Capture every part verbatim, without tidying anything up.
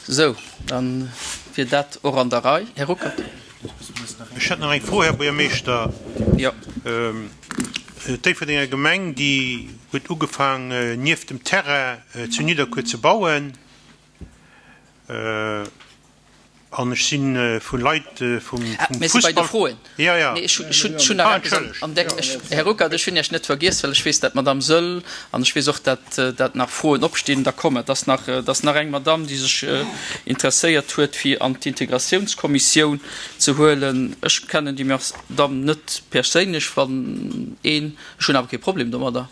Sou, dann wier dat och an der Rei. Här Ruckert. Ech hätt nach eng Fro, Här Buergermeeschter. Jo. D'Déifferdenger Gemeng, déi huet ugefaang, nieft dem Terrain zu Nidderkuer ze bauen. An ech si vu Leit vum Ah, mir si bei de Fussball. Froen. Ja, ja. Nee, ech hunn, ech hunn, ech hunn nach Ah, eppes an, entschëllegt. an der, ech, Här Ruckert, ech hunn Iech net vergiess, well ech weess, dat d'Madame Söll an ech weess och, dat, dat nach Froen opstinn. Da kommen, et ass nach, et ass nach eng Madame, déi sech interesséiert huet, fir an d'Integratiounskommissioun ze huelen. Ech kennen déi Madame net perséinlech, wann een, ech hunn awer kee Problem domadder,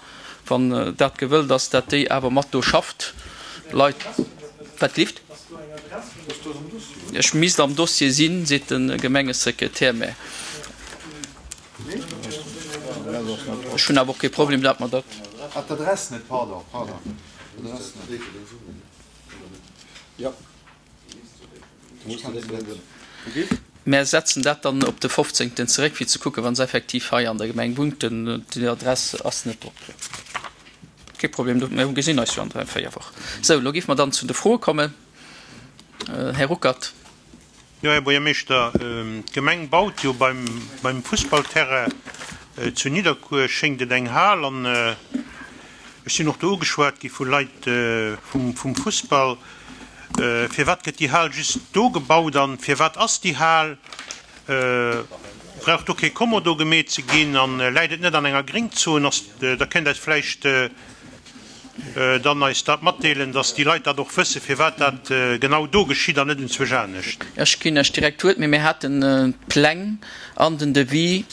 wann dat gewëllt ass, dat déi awer mat do schafft. Leit, wat lieft? Ech misst am Dossier sinn, seet de Gemengesekretär, mä ech hunn awer och kee Problem, dat mer dat. Ah, d'Adress net, pardon, pardon. D'Adress net. Jo. Mär setzen dat dann op de fofzéngten zeréck, fir ze kucken, wa se effektiv hei an der Gemeng wunnt. Déi Adress ass net drop. Kee Problem, mir gesinn eis jo an dräi, véier Wochen. Sou, elo géife mer dann zu de Froe kommen. Här Ruckert. Jo, Här Buergermeeschter, d'Gemeng baut jo beim, beim Fussballterrain zu Nidderkuer, schéngt et, eng Hal. An ech sinn och do ugeschwat gi vu Leit vum, vum Fussball. Firwat gëtt déi Hal just do gebaut an firwat ass déi Hal? Brauch do kee Kommodo gemeet ze ginn an läit et net an enger Gréngzon? Ass, da kënnt eis vläicht dann eis dat matdeelen, dass déi Leit dat och wëssen, firwat dat genau do geschitt an net enzwousch anescht. Ech ginn Iech direkt d'Wuert, mee mir haten d'Pläng an den Devis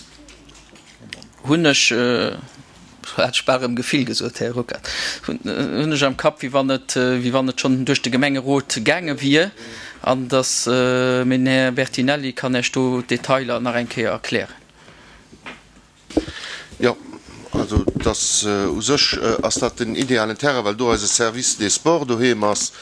hunn ech, hat ech bal erëm Gefill gesot, Här Ruckert, hunn ech am Kapp, wéi wann et, wéi wann et schonn duerch de Gemengerot gaange wier, an dass, mee den Här Bertinelli kann Iech do d'Detailer nach eng Kéier erklären. Jo, also dass u sech ass dat den idealen Terrain, well do eise Service des Sports doheem ass.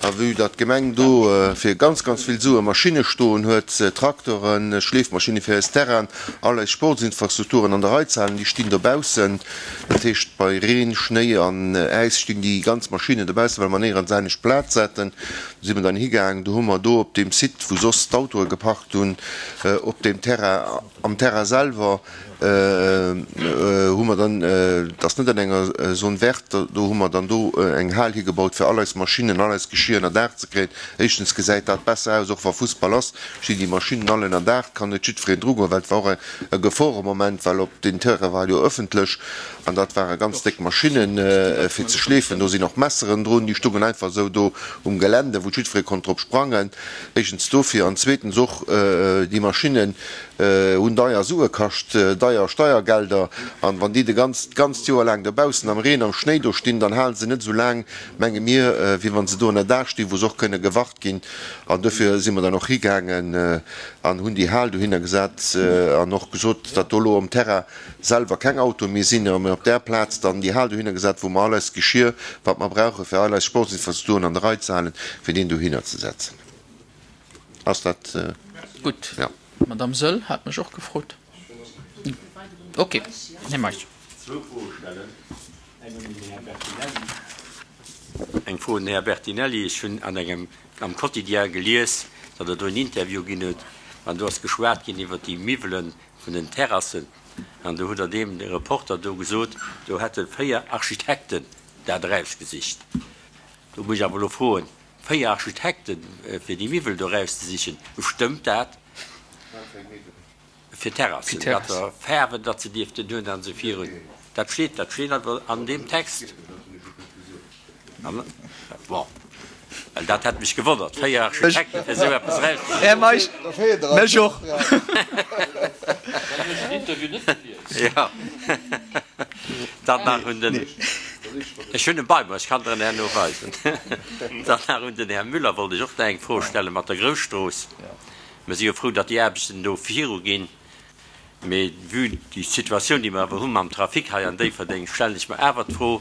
A vue datt d'Gemeng do fir ganz, ganz vill Sue Maschinne stoen huet, Traktoren, Schleefmaschinne fir eis Terrainen, all eis Sportsinfrastrukturen an der Rei ze halen, déi stinn dobaussen. Dat heescht, bei Reen, Schnéi an Äis stinn déi ganz Maschinnen dobaussen, well mer néierens anescht Plaz hätten. Do si mer dann higaangen, do hu mer do op deem Site, wou soss d'Autoe geparkt hunn, op deem Terrain, am Terrain selwer, hu mer dann, dat ass net an enger Zone verte, do hu mer dann do eng Hal higebaut, fir all eis Maschinnen, all eis Geschir ënner Daach ze kréien. Éischtens gesäit dat besser aus, och wa Fussball ass, stinn déi Maschinnen all ënner Daach, kann net jiddwereen drugoen, well et war och e Geforemoment, well op deen Terrain war jo ëffentlech an dat ware ganz déck Maschinnen fir ze schleefen. Do sinn och Messeren drun, déi stungen einfach esou do um Gelände, wou jiddweree konnt drop sprangen. Éischtens dofir an zweetens och déi Maschinnen hunn deier Sue kascht, deier Steiergelder, an wann déi de ganz, d'ganzt Joer laang dobaussen am Reen, am Schnéi do stinn, dann hale se net esou laang, menge mir, wéi wann se do ënner Daach stinn, wou se och kënne gewart ginn. An dofir si mer dann och higaangen an hunn déi Hal dohinner gesat an och gesot, datt do elo um Terrain selwer keng Autoe méi sinn, a mir op där Plaz dann déi Hal dohinner gesat, wou mer all eist Geschir, wat mer brauche fir all eis Sportsinfrastrukturen an der Rei ze halen, fir deen dohinner ze setzen. Ass dat? Gutt. Ja. D'Madame Söll hat mech och gefrot. Ok, Här Meisch. Zwou Froe stellen, eng un den Här Bertinelli. Eng Fro un den Här Bertinelli. Ech hunn an engem, am Quotidien gelies, datt et do en Interview ginn huet an do ass geschwat ginn iwwert déi Miwwele vun den Terrassen an do hutt Der deem Reporter do gesot, do hätte véier Architekten dat erausgesicht. Do muss ech awer elo froen, véier Architekten fir déi Miwwel do erauszesichen, stëmmt dat? Fir Terrassen, wat fir Faarwen datt se dierften hunn an esou virun. Dat steet, dat steet awer an deem Text. Bon, well dat hätt mech gewonnert, véier Architekten fir esou eppes erauszesichen. Här Meisch, mech och. Jo. Dann nach un den, ech hunn e bei mer, ech kann der en herno weisen. Dann nach un den Här Müller wollt ech och nach eng Fro stelle mat der Grousstrooss. Mir si jo frou, datt déi Aarbechten do viruginn, mee vue déi Situatioun, déi mer awer hu mam Trafic hei an Déifferdeng, stellen ech mer awer d'Fro,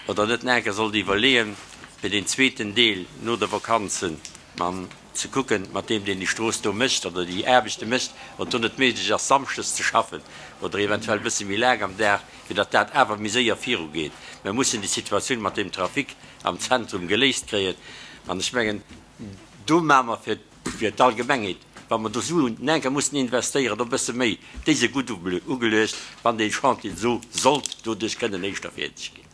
ob Der net nach eng Kéier sollt iwwerleeën, fir deen zweeten Deel no de Vakanzen mam ze kucken, mat deem, deen déi Strooss do mécht oder déi Aarbechte mécht, ob do net méiglech ass, samschdes ze schaffen oder eventuell e bësse méi laang am Dag, fir datt dat awer méi séier virugeet. Mir mussen déi Situatioun mat deem Trafic am Zentrum geléist kréien an ech mengen, Do maache mer fir, fir d'Allgemengheet, wa mer do Suen enker mussen investéieren, e bësse méi, déi si gutt ugeluecht, wann dee Chantier esou sollt doduerch kënnen éischter fäerdeg ginn.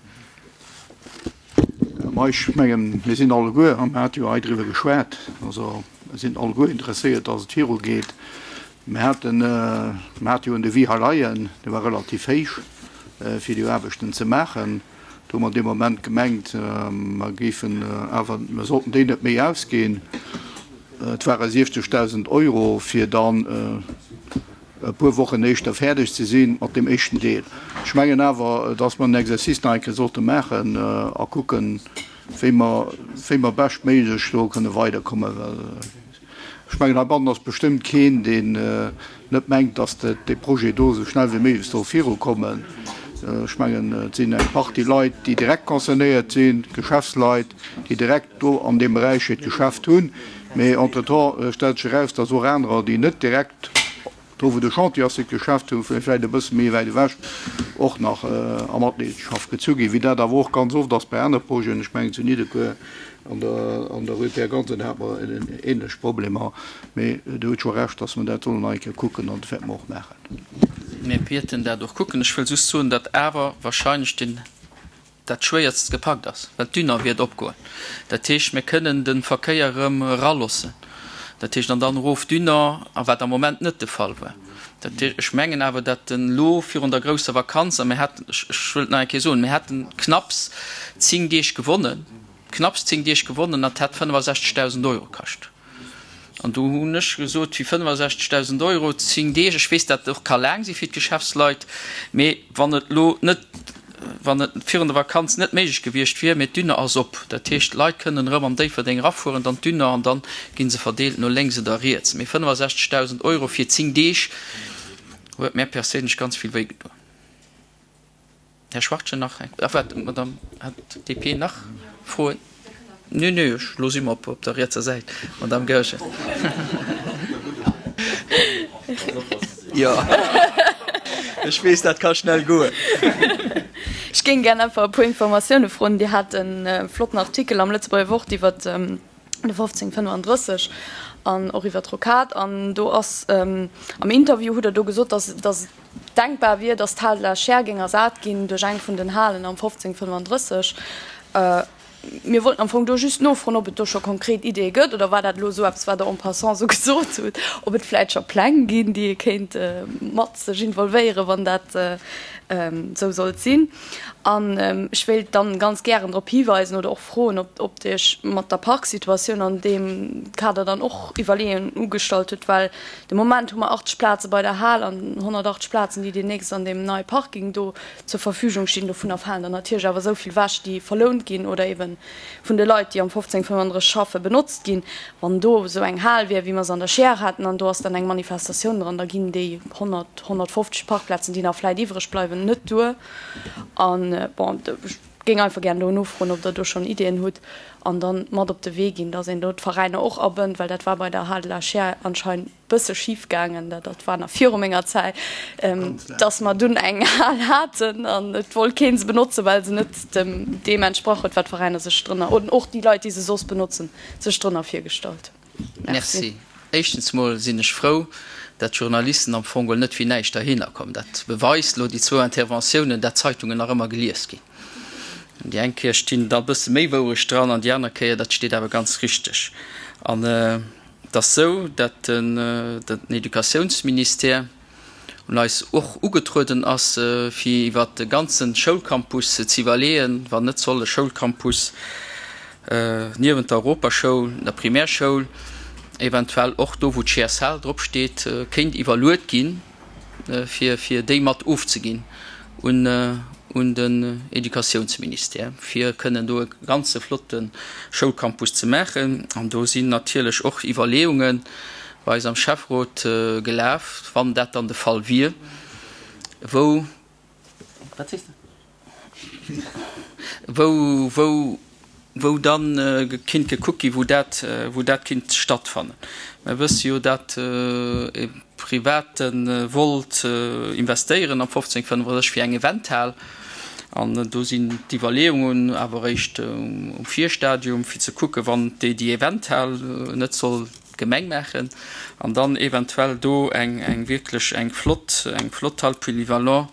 Ma ech mengen, mir sinn alleguer, a mir hate jo hei driwwer geschwat, also mir sinn alleguer interesséiert, dass et virugeet. Mir haten, mir hate jo en Devis hei leien, dee war relativ héich, fir déi Aarbechten ze maachen. Do hu mer dee Moment gemengt, mer géifen awer, mer sollten déi net méi ausginn. Et ware siefzegdausend Euro, fir dann e puer Wochen éischter fäerdeg ze si mat deem éischten Deel. Ech mengen awer, dass mer den Exercice nach eng Kéier sollte maachen a kucken, wéi mer, wéi mer beschtméiglech do kënne weiderkommen, well ech mengen, heibannen ass bestëmmt keen, deen net mengt, dass dee Projet do esou schnell wéi méiglech soll virukommen. Ech mengen, et sinn eng Partie Leit, déi direkt concernéiert sinn, Geschäftsleit, déi direkt do an deem Beräich hiert Geschäft hunn. Mee entretemps stellt sech eraus, dass och anerer, déi net direkt do, wou de Chantier ass, hiert Geschäft hunn, vläicht e bësse méi wäit ewech, och nach a Matleedenschaft gezu ginn, wéi dat awer och ganz oft ass bei anere Projeten. Ech mengen, zu Nidderkuer an der an der Rue Pierre Gansen hate mer ähnlech Problemer. Mee Dir hutt scho Recht, dass mer dat sollen nach eng Kéier kucken, an dat wäerte mer och maachen. Mir wäerten dat och kucken. Ech wëll just soen, datt awer wahrscheinlech den, dat Schwéierst gepackt ass, well d'Dünner wäert opgoen. Dat heescht, mir kënnen de Verkéier erëm eraloossen. Dat heescht, an dann erof d'Dünner, a wat am Moment net de Fall war. Dat heescht, ech mengen awer, datt en elo virun der grousser Vakanz, a mir haten, ech wëll et nach eng Kéier soen, mir haten knapps zéng Deeg gewonnen, knapps zéng Deeg gewonnen, an et hätt fënnefasechzegdausend Euro kascht. An do hunn ech gesot, fir fënnefasechzegdausend Euro zéng Deeg, ech weess, dat och ka laang si fir d'Geschäftsleit, mee wann et elo net, wann et virun der Vakanz net méiglech gewiescht wier, mee d'Dünner ass op, dat heescht, d'Leit kënnen erëm an Déifferdeng erafueren, dann d'Dünner, an dann gi se verdeelt no lénks oder riets. Mee fënnefasechzegdausend Euro fir zéng Deeg huet mär perséinlech ganz vill wéi gedoen. Här Schwachtgen, nach eng, ah waart, Madame, hat d'D P nach Froen? Nee, nee, ech, lo si mer op, op der rietser Säit, Madame Goergen. Jo, ech weess, dat ka schnell goen. Ech géing gär einfach e puer Informatioune froen. Dir hat e flotten Artikel am Lëtzebuerger Wort iwwer de fofzéng fënnefandrësseg an och iwwer d'Rocade. An do ass am Interview hutt Der do gesot, dass, dass et denkbar wier, dass d'Hal de la Chaire géing ersat ginn duerch eng vun den Halen am fofzéng fënnefandrësseg. Mir wollten am Fong do just nofroen, ob et do scho konkret Ideeë gëtt, oder war dat elo esou eppes, wat Der en passant esou gesot hutt, ob et vläicht scho Pläng ginn, déi ee kéint mat sech involvéieren, wann dat esou sollt sinn. An ech wéilt dann ganz gären drop hiweisen oder och froen, ob, ob Dir Iech mat der Parksituatioun an deem Kader dann och Iwwerleeungen ugestallt hutt, well de Moment hu mer achtzeg Plaze bei der Hal an honnertachtzeg Plazen, déi deemnächst an deem neie Parking do zur Verfügung stinn. Dovunner falen der natierlech awer esou vill wech, déi verlount ginn oder eben vun de Leit, déi am fofzéng fënnefandrësseg schaffen, benotzt ginn. Wann do esou eng Hal wier, wéi mer se an der Scheer haten, an do ass dann eng Manifestatioun dran, da ginn déi honnert, honnertfofzeg Parkplazen, déi nach vläit iwwreg bleiwen, net duer. An, bon, ech géing einfach gären do nofroen, ob Der do schonn Ideeën hutt an dann mat op de Wee ginn, dass een do d'Veräiner och abënnt, well dat war bei der Hal de la Scheer anscheinend bësse schif gaangen, dat dat war nach viru menger Zäit, dass mer dunn eng Hal haten an et wollt kee se benotzen, well se net dem deem entsprach huet, wat d'Veräiner sech drënner, oder och déi Leit, déi se soss benotzen, sech drënner virgestallt hunn. Merci. Merci. Éischtens mol sinn ech frou, dat d'Journalisten am Fong geholl net fir näischt derhinner kommen. Dat beweist elo déi zwou Interventiounen, dat d'Zeitungen nach ëmmer gelies ginn. Déi eng Kéier stinn da e bësse méi Wourecht dran an déi aner Kéier, dat steet awer ganz richteg. An et ass esou, dat den Educatiounsministère un eis och ugetrueden ass, fir iwwert de ganze Schoulcampus ze iwwerleeën, wann net soll e Schoulcampus niewent der Europaschoul, der Primärschoul, eventuell och do, wou d'G S L drop steet, kéint iwwerluet ginn, fir fir déi mat ofzeginn un un den Educatiounsministère, fir kënnen do e ganze flotte Schoulcampus ze maachen. An do sinn natierlech och Iwwerleeunge bei eis am Schäfferot gelaf, wann dat dann de Fall wier, wou, wat sees de? Wou, wou, wou dann kinnt gekuckt ginn, wou dat, wou dat kinnt stattfannen. Mer wësse jo, dat e Private wollt investéieren am fofzéng fënnefandrësseg fir eng Eventhal. An do sinn d'Iwwerleeungen awer eréischt um Virstadium, fir ze kucken, wann déi déi Eventhal net soll d'Gemeng maachen, an dann eventuell do eng eng wierklech eng flott eng flott Hall polyvalent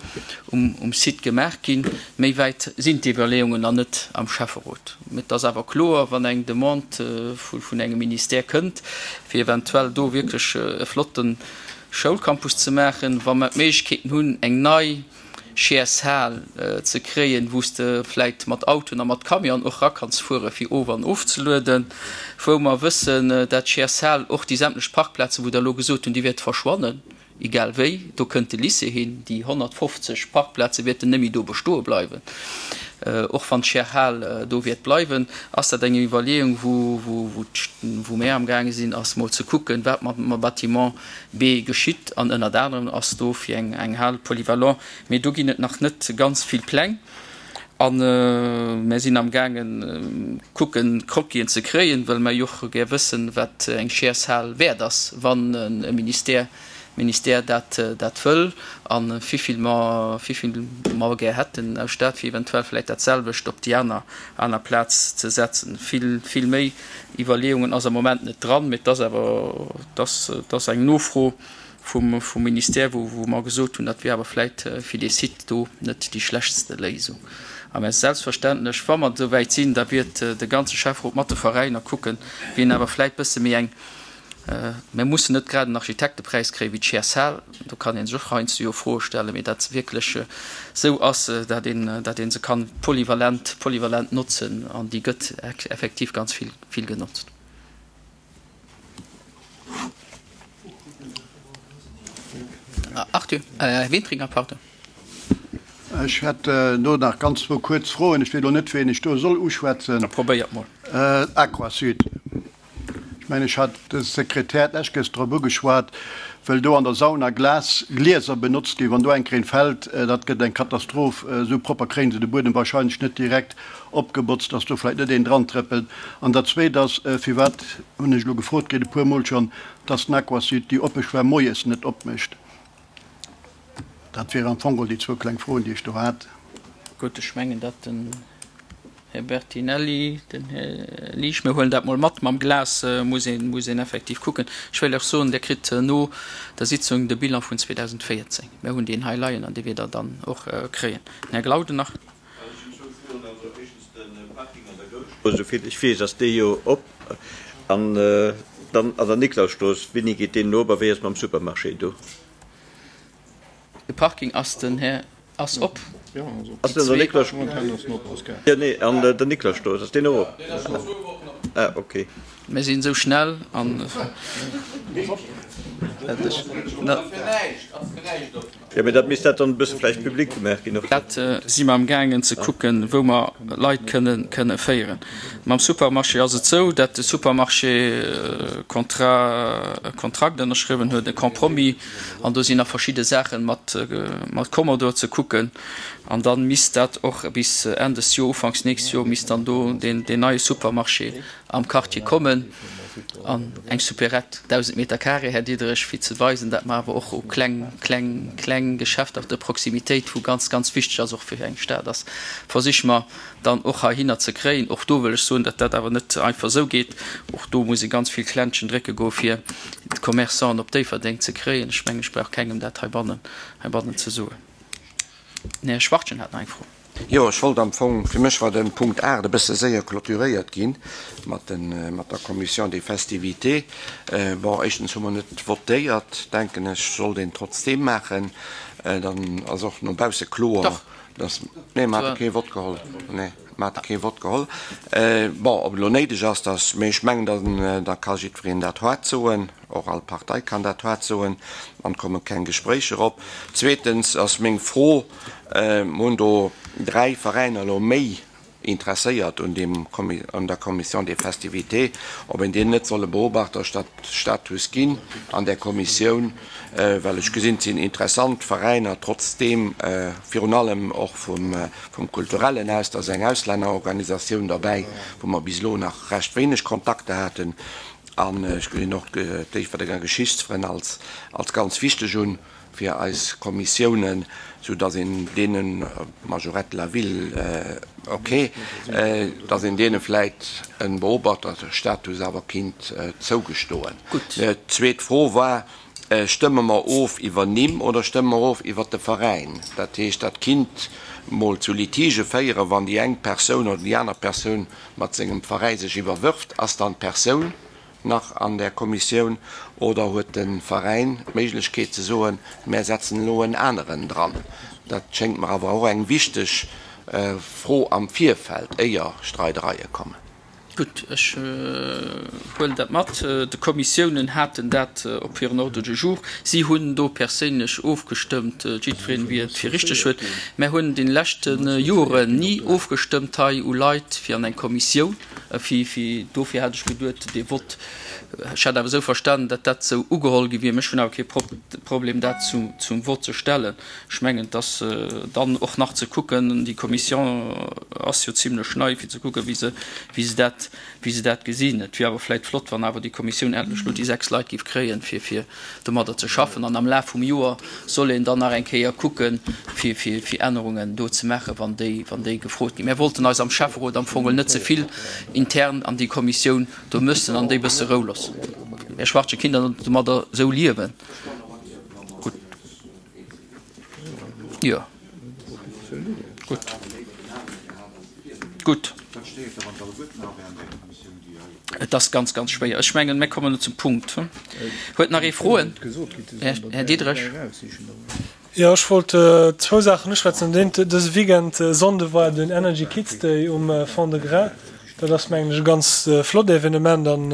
um um Site gemaach ginn. Méi wäit sinn d'Iwwerleeungen nach net am Schäfferot. Mee et ass awer kloer, wann eng Demande vu vun engem Ministère kënnt, fir eventuell do wierklech e flotte Schoulcampus ze maachen, wa mer d'Méiglechkeeten hunn, eng nei Chairs-Hal ze kréien, wou s de vläit mat Autoen a mat Camionen och era kanns fuere fir of an ofzelueden, wou mer wëssen, dat d'Chairs-Hal och déi sämtlech Parkplazen, wou Der elo gesot hunn, déi wäerte verschwannen, egal wéi, do kënnt de Lycée hin, déi honnertfofzeg Parkplaze wäerten net méi do bestoe bleiwen, och wann d'Chairs-Hal do wäert bleiwen, ass dat eng Iwwerleeung, wou, wou, wou, wou mär amgaange sinn, ass mol ze kucken, wat mat dem Bâtiment B geschitt. An ënnert anerem ass do fir eng, eng Hal polyvalent. Mee do ginn et nach net ganz vill Pläng. A mär sinn amgaangen, kucken, Croquisen ze kréien, well mär jo och gär wëssen, wat eng Chairs-Hal wäert ass, wann e Ministère, Ministère dat dat wëll a wivill mer, wivill mer gär hätten aus Stad, fir eventuell vläicht dat selwecht op déi aner, aner Plaz ze setzen. Vill, vill méi Iwwerleeungen ass am Moment net dran, mee et ass awer, et ass, et ass eng Nofro vum, vum Ministère, wou, wou mer gesot hunn, dat wier awer vläicht fir dee Site do net déi schlechtste Léisung. A mä selbstverständlech, wa mer esou wäit sinn, da wiert de ganze Schäfferot mat de Veräiner kucken, wien awer vläicht bësse méi eng, Mir mussen net grad en Architektepräis kréien wéi d'Chairs-Hal, do kann ee sech och heiansdo jo Froe stellen, mee dat se wierklech esou ass, dat een, dat ee se kann polyvalent, polyvalent notzen an déi gëtt effektiv ganz vill, vill genotzt. Arthur, Här Wintringer, pardon. Ech hätt do nach ganz zwou kuerz Froen. Ech weess elo net, ween ech do soll uschwätzen. Da probéiert mol. Aquasud. Ech mengen, ech hat de Sekretär d'lescht Kéiers drop ugeschwat, wëll do an der Sauna Glas, Glieser benotzt ginn. Wann do eng Kéier een fält, dat gëtt eng Katastroph. Esou propper kréien se de Buedem wahrscheinlech net direkt opgebotzt, dass do vläicht net een dran trëppelt. An dat Zweet ass, firwat hunn ech elo gefrot kritt e puermol schonn, dass den Aquasud déi oppe Schwämm moies net opmécht. Dat wieren am Fong déi zwou kleng Froen, déi ech do hat. Gutt, ech mengen, dat den Här Bertinelli, den Här Liesch, mir huelen dat mol mat. Mam Glas muss een, muss een effektiv kucken. Ech wéilt och soen, Dir kritt no der Sitzung de Bilan vun zweedausendvéierzéng. Mir hunn deen hei leien an dee wiert Der dann och kréien. Den Här Glauden nach. Also ech hunn zwou Froen. Also éischtens de Parking an der Gousstrooss, esou vill ech weess ass dee jo op. An dann an der Niklausstrooss, wéini geet deen op a wéi ass et mam Supermarché do? De Parking ass den Här ass op. Ass den an der Niklausstrooss? Jo, nee, an der Niklausstrooss, ass deen och op? Ah, okay. Mir sinn esou schnell an. Jo, mee dat misst dat dann e bësse vläicht public gemaach ginn och. Dat si mer amgaangen ze kucken, wou mer Leit kënne kënne féieren. Mam Supermarché ass et esou, dat de Supermarché e Contrat, e Kontrakt ënnerschriwwen huet, e Compromis, an do sinn nach verschidde Saache mat mat Commodore ze kucken. An da misst dat och bis Enn des Joer, ufanks nächst Joer misst dann do deen deen neie Supermarché am Quartier kommen. An eng Supérette, dausend Meter carré, Här Diderich, fir ze weisen, dat mer awer och u kleng, kleng, kleng Geschäfter de Proximitéit, wou ganz, ganz wichteg ass och fir eng Stad ass, versiche mer dann och heihinner ze kréien. Och do wëll ech soen, datt dat awer net einfach esou geet. Och do muss ee ganz vill Klenschen drécke goe fir d'Commerçanten op Déifferdeng ze kréien. Ech mengen, ech brauch kengem dat heibannen, heibannen ze soen. Den Här Schwachtgen hat nach eng Fro. Jo, ech wollt am Fong, fir mech war de Punkt aacht e bësse séier clôturéiert gi mat de, mat der Commission des festivités. Bon, éischtens hu mer net votéiert, denken ech, sollt een trotzdeem maachen. Dann ass och no bausse kloer, dass, nee, mer hate kee Vott geholl, nee, mer hate kee Vott geholl. Bon, ob et elo néideg ass, dass, mee ech mengen, dann, da ka jiddwereen dat haart soen. Och all Partei kann dat haart soen, an komme keng Gespréicher op. Zweetens ass meng Fro, Mer hunn do dräi Veräiner elo méi interesséiert un deem, un der Commission des festivités, ob een deenen net soll e Beobachterstatus ginn an där Kommissioun, well ech gesinn, et sinn interessant Veräiner trotzdeem, virun allem och vum, vum Kulturellen aus, da ass eng Auslännerorganisatioun derbäi, wou mer bis elo nach recht wéineg Kontakter haten. An ech gesinn och d'Déifferdenger Geschichtsfrënn als, als ganz wichteg un, fir eis Kommissiounen, soudass een deenen, Majorette de la ville, okay, dass een deene vläit e Beobachterstatus awer kinnt zougestoen. D'zweet Fro war, Stëmme mer of iwwer Nimm oder stëmme mer of iwwer de Veräin? Dat heescht, dat kinnt mol zu Litigë féieren, wann déi eng Persoun oder déi aner Persoun mat sengem Veräi sech iwwerwërft. Ass dann d'Persoun nach an där Kommissioun oder huet de Veräin d'Méiglechkeet ze soen, mär setzen elo en aneren dran? Dat schéngt mer awer och eng wichteg Fro am Virfeld, éier Streidereie kommen. Gutt, ech huelen dat mat. De Kommissiounen haten dat op hiren Ordre du jour. Si hunn do perséinlech ofgestëmmt, jiddwereen, wéi et fir richteg huet. Mär hunn an deene leschte Joren ni ofgestëmmt hei u Leit fir an eng Kommissioun. Fir, fir, dofir hat ech geduet, dee Vott, ech hat awer esou verstanen, datt dat esou ugeholl gi wier. Mä ech hunn awer kee Problem, dat zum, zum Vott ze stellen. Ech mengen, et ass dann och nach ze kucken, déi Commission ass jo zimlech nei, fir ze kucken, wéi se, wéi se dat, wéi se dat gesinn. Et wier awer vläicht flott, wann awer déi Kommissioun endlech elo déi sechs Leit géif kréien, fir, fir domadder ze schaffen. An am Laf vum Joer soll een dann nach eng Kéier kucken, fir, fir, fir Ännerungen do ze maachen, wann déi, wann déi gefrot ginn. Mär wollten eis am Schäfferot am Fong net ze vill intern an déi Kommissioun do mëssen an déi bësse Rou loossen. Här Schwachtgen, kinnt Der domadder esou liewen? Gutt. Jo. Gutt. Gutt. Et ass ganz, ganz schwéier. Ech mengen, mir kommen elo zum Punkt. Huet nach ee Froen? Här Diderich. Jo, ech wollt zwou Saachen uschwätzen. Dat eent, dëse Weekend, Sonnde, war den Energy Kids Day um Fond-de-Gras. Dat ass, mengen ech, e ganz flott Evenement an,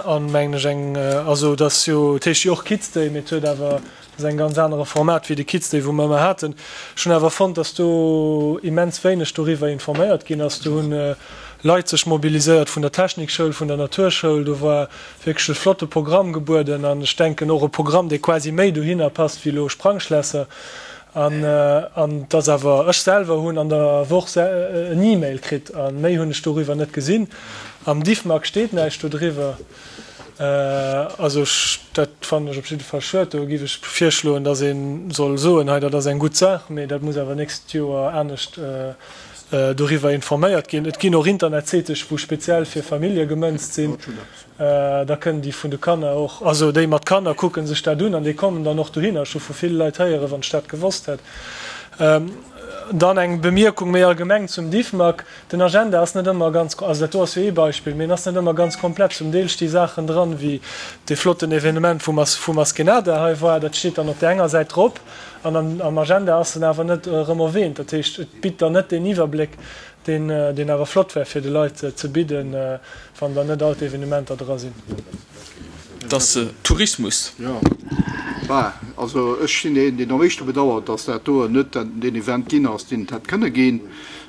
an mengen ech eng, also et ass jo, et heescht jo och Kids Day, mee et huet awer, et ass eng ganz anere Format wéi de Kids Day, wou mer ëmmer haten. Ech hunn awer fonnt, dass do immens wéineg doriwwer informéiert ginn ass. Do hunn Leit sech mobiliséiert vun der Technikschoul, vun der Naturschoul. Do war wierklech e flotte Programm gebueden an ech denken och e Programm, dee quasi méi dohinner passt wéi elo Sprangschlässer. An et ass awer, ech selwer hunn an der Woch en E-Mail kritt a méi hunn ech doriwwer net gesinn. Am Diffmag steet näischt dodriwwer. Also ech, dat fannen ech op jidde Fall schued. Do géif ech virschloen, datt ee soll soen, hei dat ass eng gutt Saach, mee dat muss awer nächst Joer anescht doriwwer informéiert ginn. Et ginn och Internetséite wou speziell fir Famillje gemënzt sinn. Da kënnen déi vun de Kanner och, also déi mat Kanner kucke sech dat un an déi kommen dann och dohinner. Ech hu vu ville Leit héieren, wann ech dat gewosst hätt. Dann eng Bemierkung méi allgemeng zum Diffmag. Den Agenda ass net ëmmer ganz, also dat do ass jo ee Beispill, mee en ass net ëmmer ganz komplett. Zum Deel sti Saachen dran, wéi dee flotten Evenement wou vu Maskenada hei war, dat steet dann op där enger Säit drop an am Agenda ass en awer net erëm erwähnt. Dat heescht, et bitt dann net deen Iwwerbléck, deen deen awer flott wär fir de Leit ze bidden, wann dann net all d'Evenementer dra sinn. Et ass Tourismus. Jo, bah, also ech sinn deen, deen am éischte bedauert, dass dat do net deen Event ginn ass, deen et hätt kënne ginn.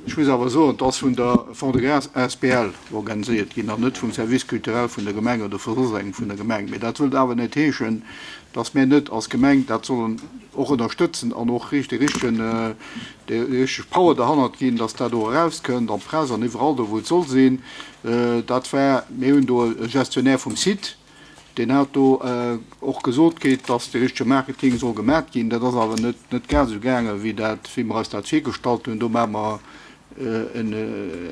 Ech muss awer soen, et ass vun der Fond-de-Gras asbl organiséiert ginn an net vum Service culturel vun der Gemeng oder vu soss engem vun der Gemeng. Mee dat wëllt awer net heeschen, dass mär net als Gemeng dat sollen och ënnerstëtzen an och dee richtegen, déi richteg Power derhannert ginn, dass dat och erauskënnt an d'Press an iwwerall do, wou et soll sinn. Dat war, mir hunn do e Gestionnaire vum Site, deen hat do och gesot kritt, dass dee richtege Marketing soll gemat ginn. Dat ass awer net, net grad esou gaangen, wéi dat, wéi mer eis dat virgestallt hunn. Do maache mer en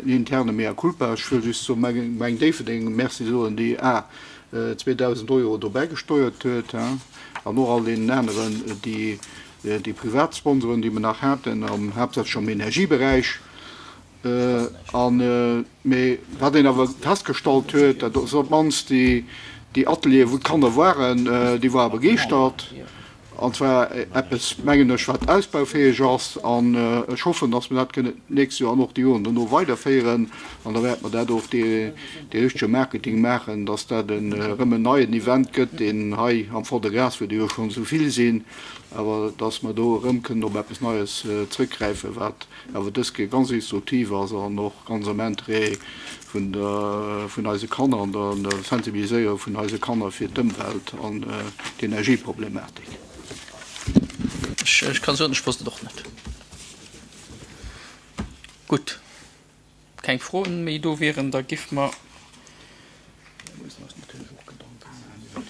interne Mea culpa. Ech wëll just zur Gemeng Déifferdeng Merci soen, déi a zweedausend Euro do bäigesteuert huet, an och all deenen aneren, déi déi privat Sponsoren, déi mer nach haten, am haaptsächlech am Energieberäich. An, mee wat een awer festgestallt huet, dat ass op d'mannst déi, déi Atelieren, wou d'Kanner waren, déi ware begeeschtert. An zwar eppes, mengen ech, wat ausbaufäeg ass. An ech hoffen, dass mer dat kënnen d'nächst Joer an och déi Joren dono weiderféieren. An da wäerte mer dat och dee richtege Marketing maachen, dass dat erëm en neien Event gëtt, deen hei am Fond-de-Gras, wou der jo schonn esou vill sinn, awer dass mer do erëm kënnen op eppes Neies zrëckgräifen, wat awer dës Kéier ganz instruktiv ass an och ganz am Interêt vun der, vun eise Kanner an der Sensibiliséierung vun eise Kanner fir d'Ëmwelt an d'Energieproblematik. Ech kann soen, ech wosst et och net. Gutt, keng Froen méi do wieren, da giff mer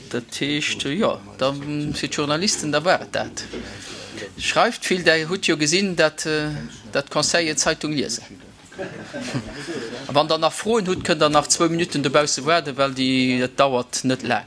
Dat heescht, jo, da fir d'Journalisten, da war et dat. Schreift vill, Der hutt jo gesinn, dat dat d'Conseiller d'Zeitung liesen. A wann Der nach Froen hutt, kënnt Der nach zwou Minutten dobausse waarden, well déi, dat dauert net laang.